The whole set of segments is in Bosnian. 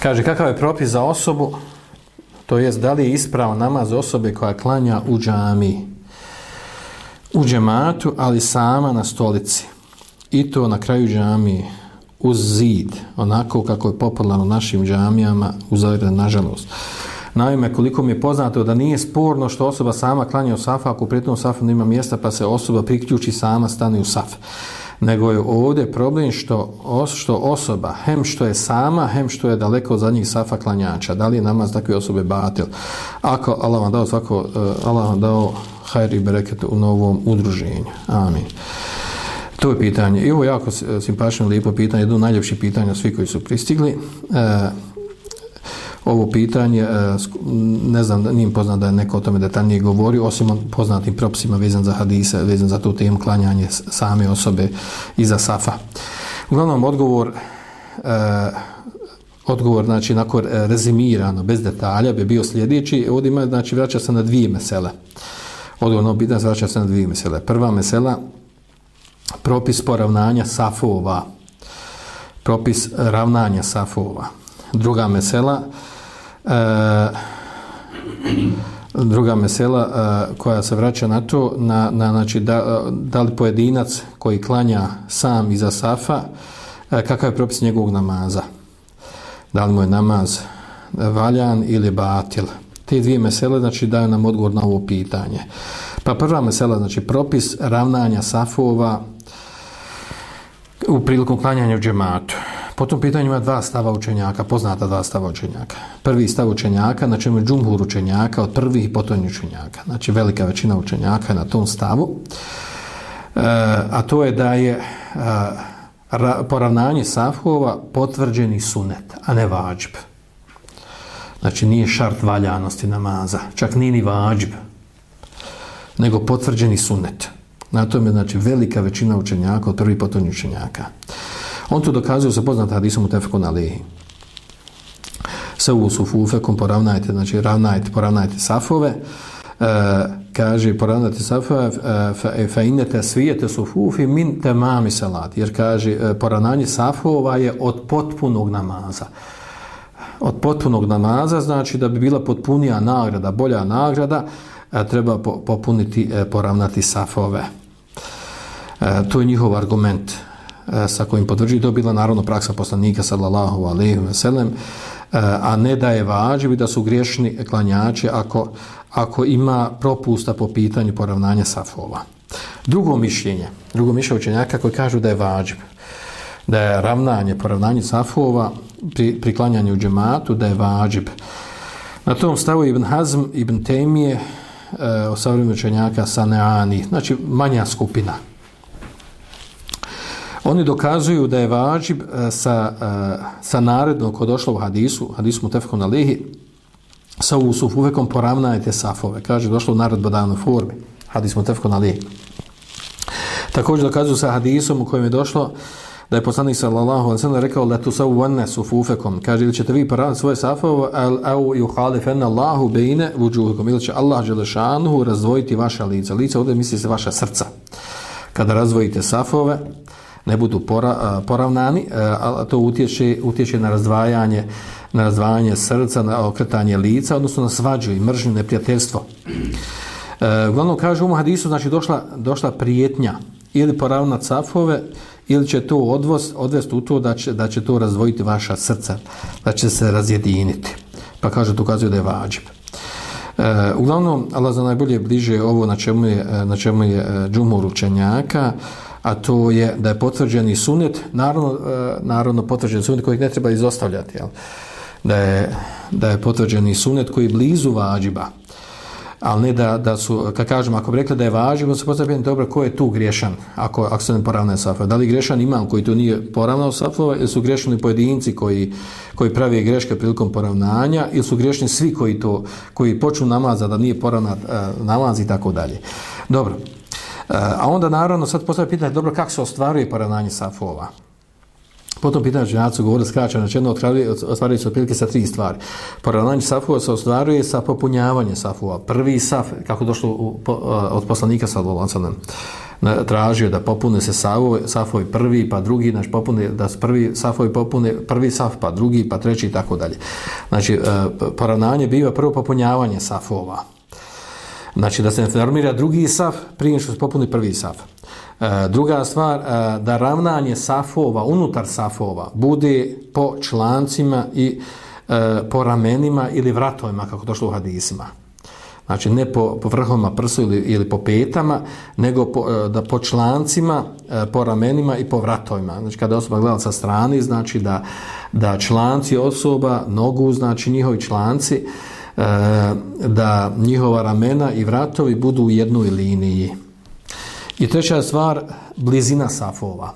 Kaže, kakav je propis za osobu, to jest da li je ispravan namaz osobe koja klanja u džamiji, u džematu, ali sama na stolici. I to na kraju džamije, uz zid, onako kako je popularno u našim džamijama u Zagrebu, nažalost. Naime, koliko mi je poznato da nije sporno što osoba sama klanja u safu, ako pri tom safu nema mjesta pa se osoba priključi sama, stane u saf. Nego je ovdje problem što osoba, hem što je sama, hem što je daleko od zadnjih safa klanjača. Da li je namaz takve osobe batil? Ako Allah vam dao Allah vam dao hajr i bereket u novom udruženju. Amin. To je pitanje. I ovo je jako simpatično, lijepo pitanje, jedno od najljepših pitanja svi koji su pristigli. Ovo pitanje, ne znam, nije poznat da je neko o tome detaljnije govori, osim poznatim propisima vezan za hadise, vezan za tu temu klanjanje same osobe iza safa. Uglavnom, odgovor, znači, nakon rezimirano, bez detalja, bi bio sljedeći. Ovdje ima, znači, vraća se na dvije mesele. Odgovor pitanje vraća se na dvije mesele. Prva mesela, propis poravnanja safova. Propis ravnanja safova. Druga mesela, koja se vraća na to, znači da li pojedinac koji klanja sam iza safa, kakav je propis njegovog namaza? Da li mu je namaz valjan ili batil? Te dvije mesele, znači, daju nam odgovor na ovo pitanje. Pa prva mesela, znači, propis ravnanja safova u prilikom klanjanja u džematu. Po tom pitanju ima dva stava učenjaka, poznata dva stava učenjaka. Prvi stav učenjaka, na čemu je džumhur učenjaka od prvih i potonjih učenjaka. Znači, velika većina učenjaka je na tom stavu. A to je da je poravnanje safova potvrđeni sunet, a ne vađb. Znači, nije šart valjanosti namaza, čak nije ni vađb, nego potvrđeni sunet. Na tom je, znači, velika većina učenjaka od prvih i potonjih učenjaka. On to dokazuje sa poznatim hadisom mutefekun alejhi. Sawu sufufekum, poravnajte, znači poravnajte safove. Kaže, poravnajte safove, fa innete svijete sufufi min temami salat. Jer kaže, poravnanje safova je od potpunog namaza. Od potpunog namaza, znači da bi bila potpunija nagrada, bolja nagrada, treba poravnati safove. To je njihov argument sa kojim potvrđuju. To je bila naravno praksa poslanika sallallahu alejhi ve sellem, a ne da je vađib i da su griješni klanjači ako ima propusta po pitanju poravnanja safova. Drugo mišljenje učenjaka koji kažu da je vađib, da je poravnanje safova pri klanjanju u džematu, da je vađib. Na tom stavu Ibn Hazm, Ibn Tejmije, savremenih učenjaka Saneani, znači manja skupina. Oni dokazuju da je vađib sa narednom ko došlo u hadisu mutefekun alejhi, sa usufufekom poravnajte safove. Kaže, došlo u naredbodavnoj formi, hadis mutefekun alejhi. Također dokazuju sa hadisom u kojem je došlo da je poslanik sallallahu alejhi ve sellem rekao la tusawwanna sufufekum. Kaže, ili ćete vi poravnati svoje safove, au yuhalifenna Allahu bejne vujuhikum, ili će Allah dželešanu razdvojiti vaša lica. Lica, ovdje misli se vaša srca. Kada razdvojite safove, ne budu poravnani, a to utječe na razdvajanje srca, na okretanje lica, odnosno na svađu i mržnju, neprijateljstvo. Uglavnom kaže u hadisu, znači došla prijetnja ili poravnati safove, ili će to odvesti u to da će to razdvojiti vaša srca, da će se razjediniti. Pa kaže, to ukazuje da je vađib. Uglavnom, Allah za najbolje bliže ovo na čemu je džumhur učenjaka, a to je da je potvrđeni sunet, naravno potvrđeni sunet kojeg ne treba izostavljati, jel? Da je potvrđeni sunet koji je blizu vađiba, ali ne da su, kad kažemo, ako bi rekli da je vađib, se postavljamo dobro, ko je tu griješan ako se ne poravnaju safove? Da li griješan imam koji tu nije poravnao safove, ili su griješni pojedinci koji pravi greške prilikom poravnanja, ili su griješni svi koji počnu namaza da nije poravnat namaz i tako dalje. Dobro. A onda naravno sad postavlja pitanje, dobro, kako se ostvaruje poravnanje safova? Potom pitanje učenjaci govore skraćeno, znači jedno ostvaruje se otprilike sa 3 stvari. Poravnanje safova se ostvaruje sa popunjavanjem safova. Prvi saf, kako došlo od poslanika sallallahu alejhi ve sellem, tražio da popune se safovi prvi pa drugi, znači popune, da prvi safovi popune prvi saf pa drugi pa treći i tako dalje. Znači poravnanje biva prvo popunjavanje safova. Znači da se ne formira drugi saf prije što se popuni prvi saf. Druga stvar, da ravnanje safova unutar safova bude po člancima i po ramenima ili vratovima kako došlo u hadisima. Znači ne po vrhovima prsu ili po petama, nego da po člancima, po ramenima i po vratovima. Znači kada osoba gleda sa strane, znači da članci osoba, nogu, znači njihovi članci, da njihova ramena i vratovi budu u jednoj liniji. I treća stvar, blizina safova,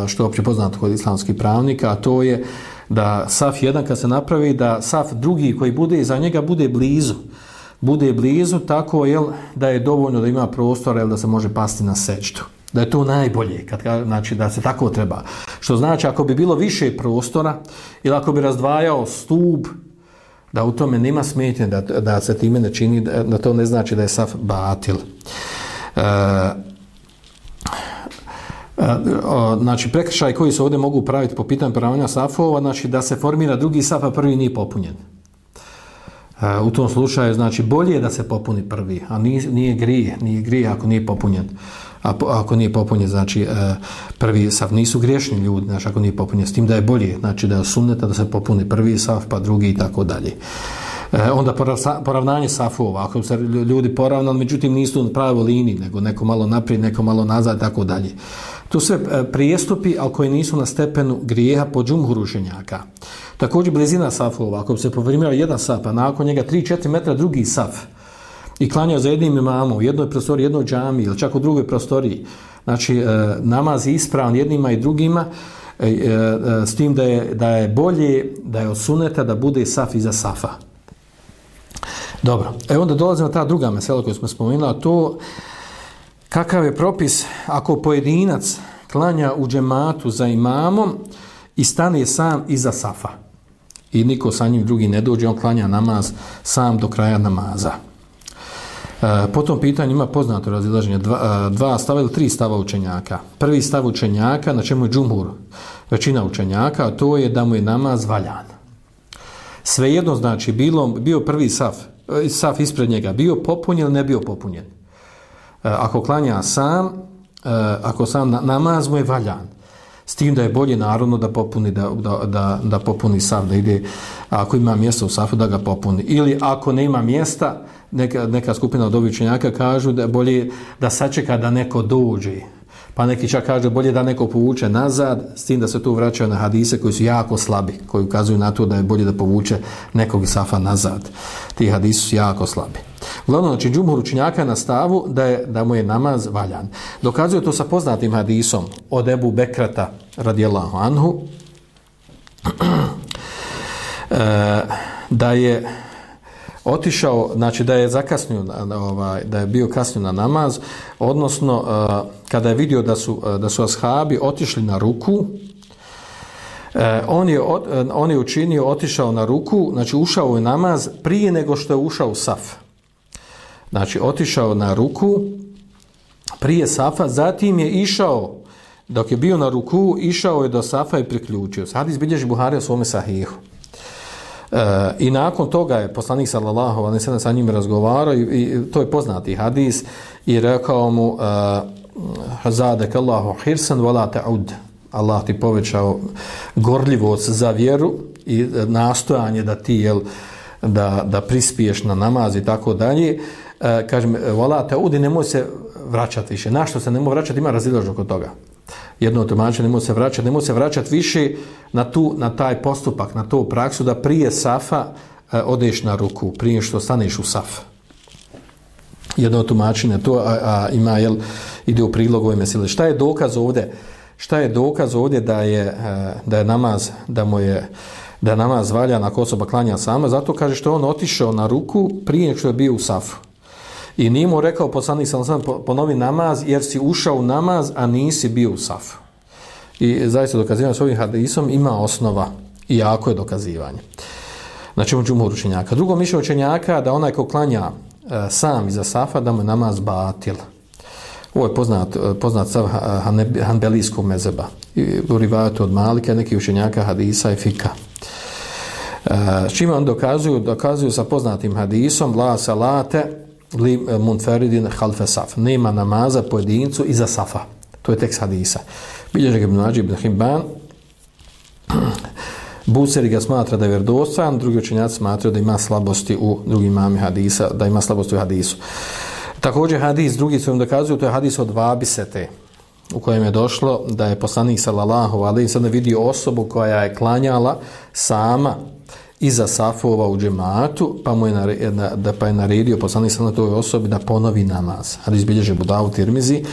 što je opće poznato kod islamskih pravnika, a to je da saf jedan kad se napravi, da saf drugi koji bude iza njega bude blizu tako da je dovoljno da ima prostora da se može pasti na sećdu. Da je to najbolje, znači da se tako treba. Što znači ako bi bilo više prostora ili ako bi razdvajao stup, da u tome nema smetnje, da se time ne čini, da to ne znači da je saf batil. Znači prekršaj koji se ovdje mogu praviti po pitanju poravnanja safova, znači da se formira drugi saf, a prvi nije popunjen. U tom slučaju znači bolje je da se popuni prvi, a nije grije ako nije popunjen. Ako nije popunjen, znači prvi saf, nisu griješni ljudi, znači ako nije popunjen, s tim da je bolje, znači da je sunneta da se popuni prvi saf, pa drugi i tako dalje. Onda poravnanje safova, ako se ljudi poravnali, međutim nisu na pravoj liniji, nego neko malo naprijed, neko malo nazad i tako dalje. To sve prijestupi, ali koji nisu na stepenu grijeha po džumhuru učenjaka. Također blizina safova, ako bi se povremio jedan saf, a nakon njega 3-4 metra drugi saf i klanjao za jednim imamom u jednoj prostoriji, jednoj džamiji ili čak u drugoj prostoriji, znači namaz je ispravan jednima i drugima, s tim da je bolje, da je od suneta da bude saf iza safa. Dobro, onda dolazimo na ta druga mesela koju smo spomenuli, a to kakav je propis ako pojedinac klanja u džematu za imamom i stane sam iza safa i niko sa njim drugi ne dođe, on klanja namaz sam do kraja namaza. Po tom pitanju ima poznato razilaženje dva stava ili 3 stava učenjaka. Prvi stav učenjaka, na čemu je džumhur, većina učenjaka, a to je da mu je namaz valjan. Svejedno znači bio prvi saf ispred njega, bio popunjen ili ne bio popunjen. Ako klanja sam, ako sam namaz mu je valjan. S tim da je bolje naravno da popuni, da popuni saf, da ide, ako ima mjesta u safu da ga popuni. Ili ako ne ima mjesta, neka skupina od ovih učenjaka kažu da je bolje da sačeka da neko dođe. Pa neki čak kažu bolje da neko povuče nazad, s tim da se tu vraćaju na hadise koji su jako slabi, koji ukazuju na to da je bolje da povuče nekog safa nazad. Ti hadisi su jako slabi. Uglavnom, znači, džumhur učenjaka na stavu da mu je namaz valjan. Dokazuje to sa poznatim hadisom od Ebu Bekrata radijallahu anhu, da je otišao, znači da je zakasnio, da je bio kasnio na namaz, odnosno kada je vidio da su ashabi otišli na ruku, on je učinio, otišao na ruku, znači ušao u namaz prije nego što je ušao u saf. Znači otišao na ruku prije safa, zatim je išao, dok je bio na ruku, išao je do safa i priključio se. Hadis bilježi Buhari u svome sahihu. I nakon toga je poslanik sallallahu alejhi ve sellem sa njim razgovarao i to je poznati hadis i rekao mu zadaka Allahu hirsan wala ta'ud. Allah ti povećao gorljivost za vjeru i nastojanje da ti da prispiješ na namaz i tako dalje. Kažem wala ta'ud, nemoj se vraćati više. Na što se nemoj vraćati, ima razilaženje oko toga. Jedno tumačenje, nemoj se vraćati više na taj postupak, na tu praksu da prije safa odeš na ruku, prije što staneš u saf. Jedno tumačenje to ima, ide u prilog ove mesele. Šta je dokaz ovdje da je namaz, da je namaz valjan ako osoba klanja sama? Zato kaže što on otišao na ruku prije što je bio u safu. I nije mu rekao poslanik sallallahu alejhi ve sellem ponovi namaz jer si ušao u namaz, a nisi bio u safu. I zaista dokazivanje s ovim hadisom ima osnova i jako je dokazivanje. Znači džumhur učenjaka. Drugo mišljenje učenjaka da onaj ko klanja sam iza safa da mu je namaz batil. Ovo je poznat stav hanbelijskog mezheba. U rivajatu od Malika, neki učenjaka hadisa i fika. S čime on dokazuju sa poznatim hadisom la salate li munferidin halfe saf. Nema namaza pojedincu iza safa. To je tekst hadisa. Bilježi ga Ibn Mađib ibn Hibban. Buseri ga smatra da je vjerodostojan, drugi učenjaci smatraju da ima slabosti u drugim imami hadisa, da ima slabosti u hadisu. Također hadis, drugi su im dokazuju, to je hadis od Vabisete, u kojem je došlo da je poslanik sallallahu alejhi ve sellem vidio osobu koja je klanjala sama iza safova u džematu, pa je naredio poslanik sallallahu toj osobi da ponovi namaz. Hadis bilježi Abu Davud, Tirmizi.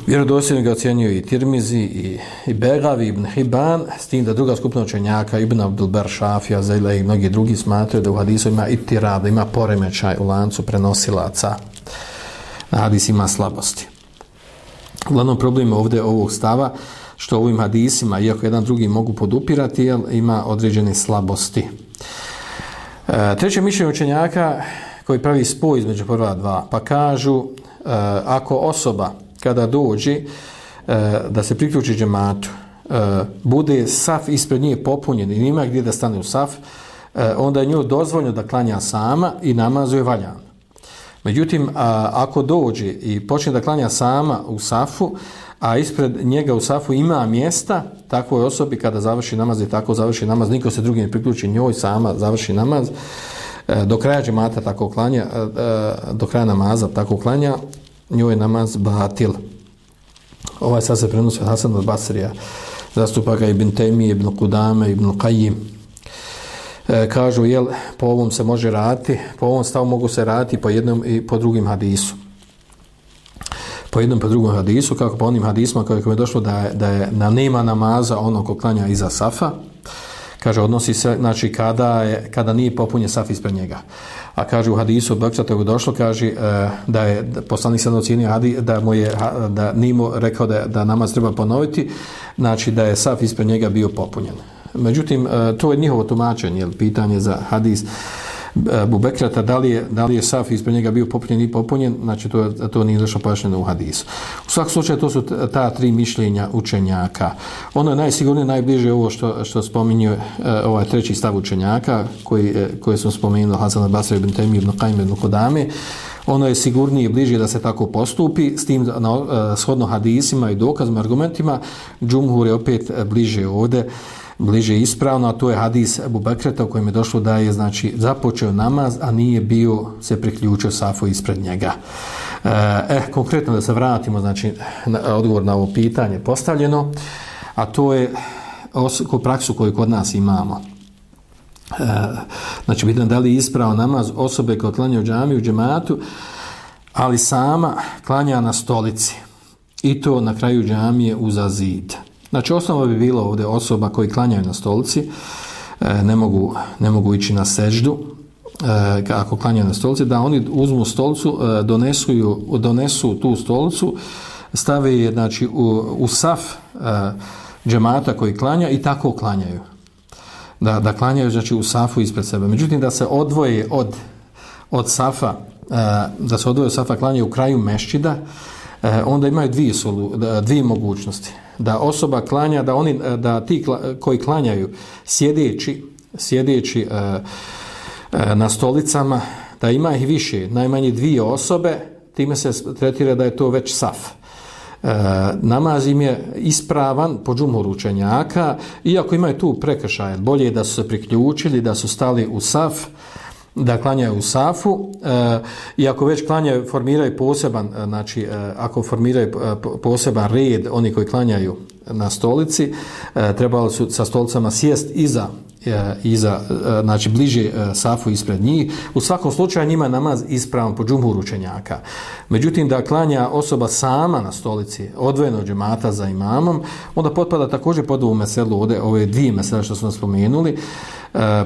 Vjerodostojno ga ocjenjuju i Tirmizi i Begavi, Ibn Hibban, s tim da druga skupina učenjaka, Ibn Abdul Bar, Šafija, Zajla i mnogi drugi smatraju da u hadisu ima itirab, da ima poremećaj u lancu prenosilaca. Hadis ima slabosti. Uglavnom problem ovdje ovog stava, što ovim hadisima, iako jedan drugi mogu podupirati, ima određene slabosti. Treće mišljenje učenjaka koji pravi spoj između prva dva, pa kažu ako osoba kada dođe da se priključi džematu, bude saf ispred nje popunjen i nima gdje da stane u saf, onda je njoj dozvoljeno da klanja sama i namaz je valjan. Međutim, ako dođe i počne da klanja sama u safu, a ispred njega u safu ima mjesta, takvoj osobi kada završi namaz i tako završi namaz, niko se drugi ne priključi njoj, sama završi namaz, do kraja džemata tako klanja, do kraja namaza tako klanja, njoj je namaz batil. Ovaj sad se prenosi od Hasan od Basrija, zastupa ga Ibn Tejmije, Ibn Kudame, Ibn Qajim. Kažu, po ovom se može raditi, po ovom stavu mogu se raditi po jednom i po drugim hadisu. Po jednom i po drugom hadisu, kako po onim hadisma koji je došlo da nema namaza ono ko klanja iza safa, kaže, odnosi se, znači, kada nije popunjen saf ispred njega. A kaže u hadisu od Baksata je došlo, kaže da je poslanik sad ocijenio da nije mu rekao da namaz treba ponoviti, znači da je saf ispred njega bio popunjen. Međutim, to je njihovo tumačenje, pitanje za hadis Abu Bekrata, da li je saf ispred njega bio popunjen i popunjen, znači to nije došlo pojašnjeno u hadisu. U svakom slučaju to su ta tri mišljenja učenjaka. Ono je najsigurnije, najbliže ovo što spominje ovaj treći stav učenjaka koji smo spomenuli, Hasan al-Basri, Ibn Tejmi, Ibn Qajim, Ibn Kudame. Ono je sigurnije i bliže da se tako postupi, s tim shodno hadisima i dokazima, argumentima. Džumhur je opet bliže ispravno, a to je hadis Abu Bekreta u kojem je došlo da je, znači, započeo namaz, a nije bio se priključio safu ispred njega. Konkretno da se vratimo, znači, odgovor na ovo pitanje postavljeno, a to je praksu koju kod nas imamo. Znači, bitno da li je ispravan namaz osobe koja klanja u džamiju, u džematu, ali sama klanja na stolici i to na kraju džamije uza zid. Znači, osnova bi bilo ovdje osoba koji klanjaju na stolici, ne mogu ići na seždu, ako klanjaju na stolici, da oni uzmu stolicu, donesu tu stolicu, stave je, znači, u saf džemata koji klanja i tako klanjaju. Da klanjaju, znači, u safu ispred sebe. Međutim, da se odvoje od safa, klanjaju u kraju mešćida, onda imaju dvije mogućnosti. Da osoba klanja, da ti koji klanjaju sjedeći na stolicama, da ima ih više, najmanje dvije osobe, time se tretira da je to već saf. Namaz im je ispravan po džumhuru učenjaka, iako imaju tu prekršaje, bolje je da su se priključili, da su stali u saf, da klanjaju u safu, i ako već klanjaju, formiraju poseban, znači ako formiraju poseban red, oni koji klanjaju na stolici, trebali su sa stolicama sjest iza, znači bliže safu ispred njih. U svakom slučaju njima je namaz ispravan po džumhuru učenjaka. Međutim, da klanja osoba sama na stolici, odvojeno od džemata za imamom, onda potpada također pod ovu meselu, ove dvije mesele što smo spomenuli.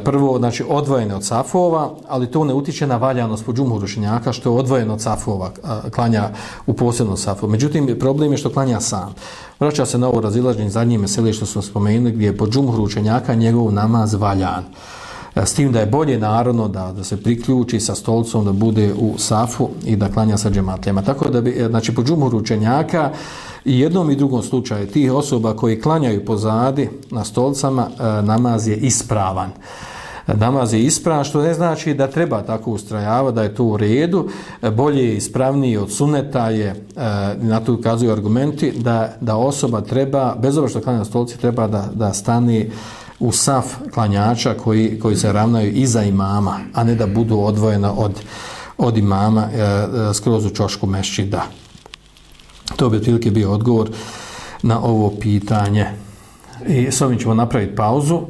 Prvo, znači, odvojene od safova, ali to ne utiče na valjanost po džumhuru učenjaka, što je odvojeno od safova, klanja u posebnom safu. Međutim, problem je što klanja sam. Vraća se na ovo razilaženje zadnje mesele što smo spomenuli, gdje je po džumhuru učenjaka njegov namaz valjan. S tim da je bolje naravno da se priključi sa stolicom, da bude u safu i da klanja sa džematlijama. Tako da bi, znači po džumhuru učenjaka i jednom i drugom slučaju tih osoba koji klanjaju pozadi na stolicama, namaz je ispravan. Namaz je ispravan, što ne znači da treba tako ustrajavati, da je to u redu. Bolje je ispravniji od suneta je, na to ukazuju argumenti, da osoba treba, bez obzira što klanja na stolici, treba da stane u saf klanjača koji se ravnaju iza imama, a ne da budu odvojena od imama skroz u ćošku mešćida. To bi otprilike bio odgovor na ovo pitanje. I s ovim ćemo napraviti pauzu.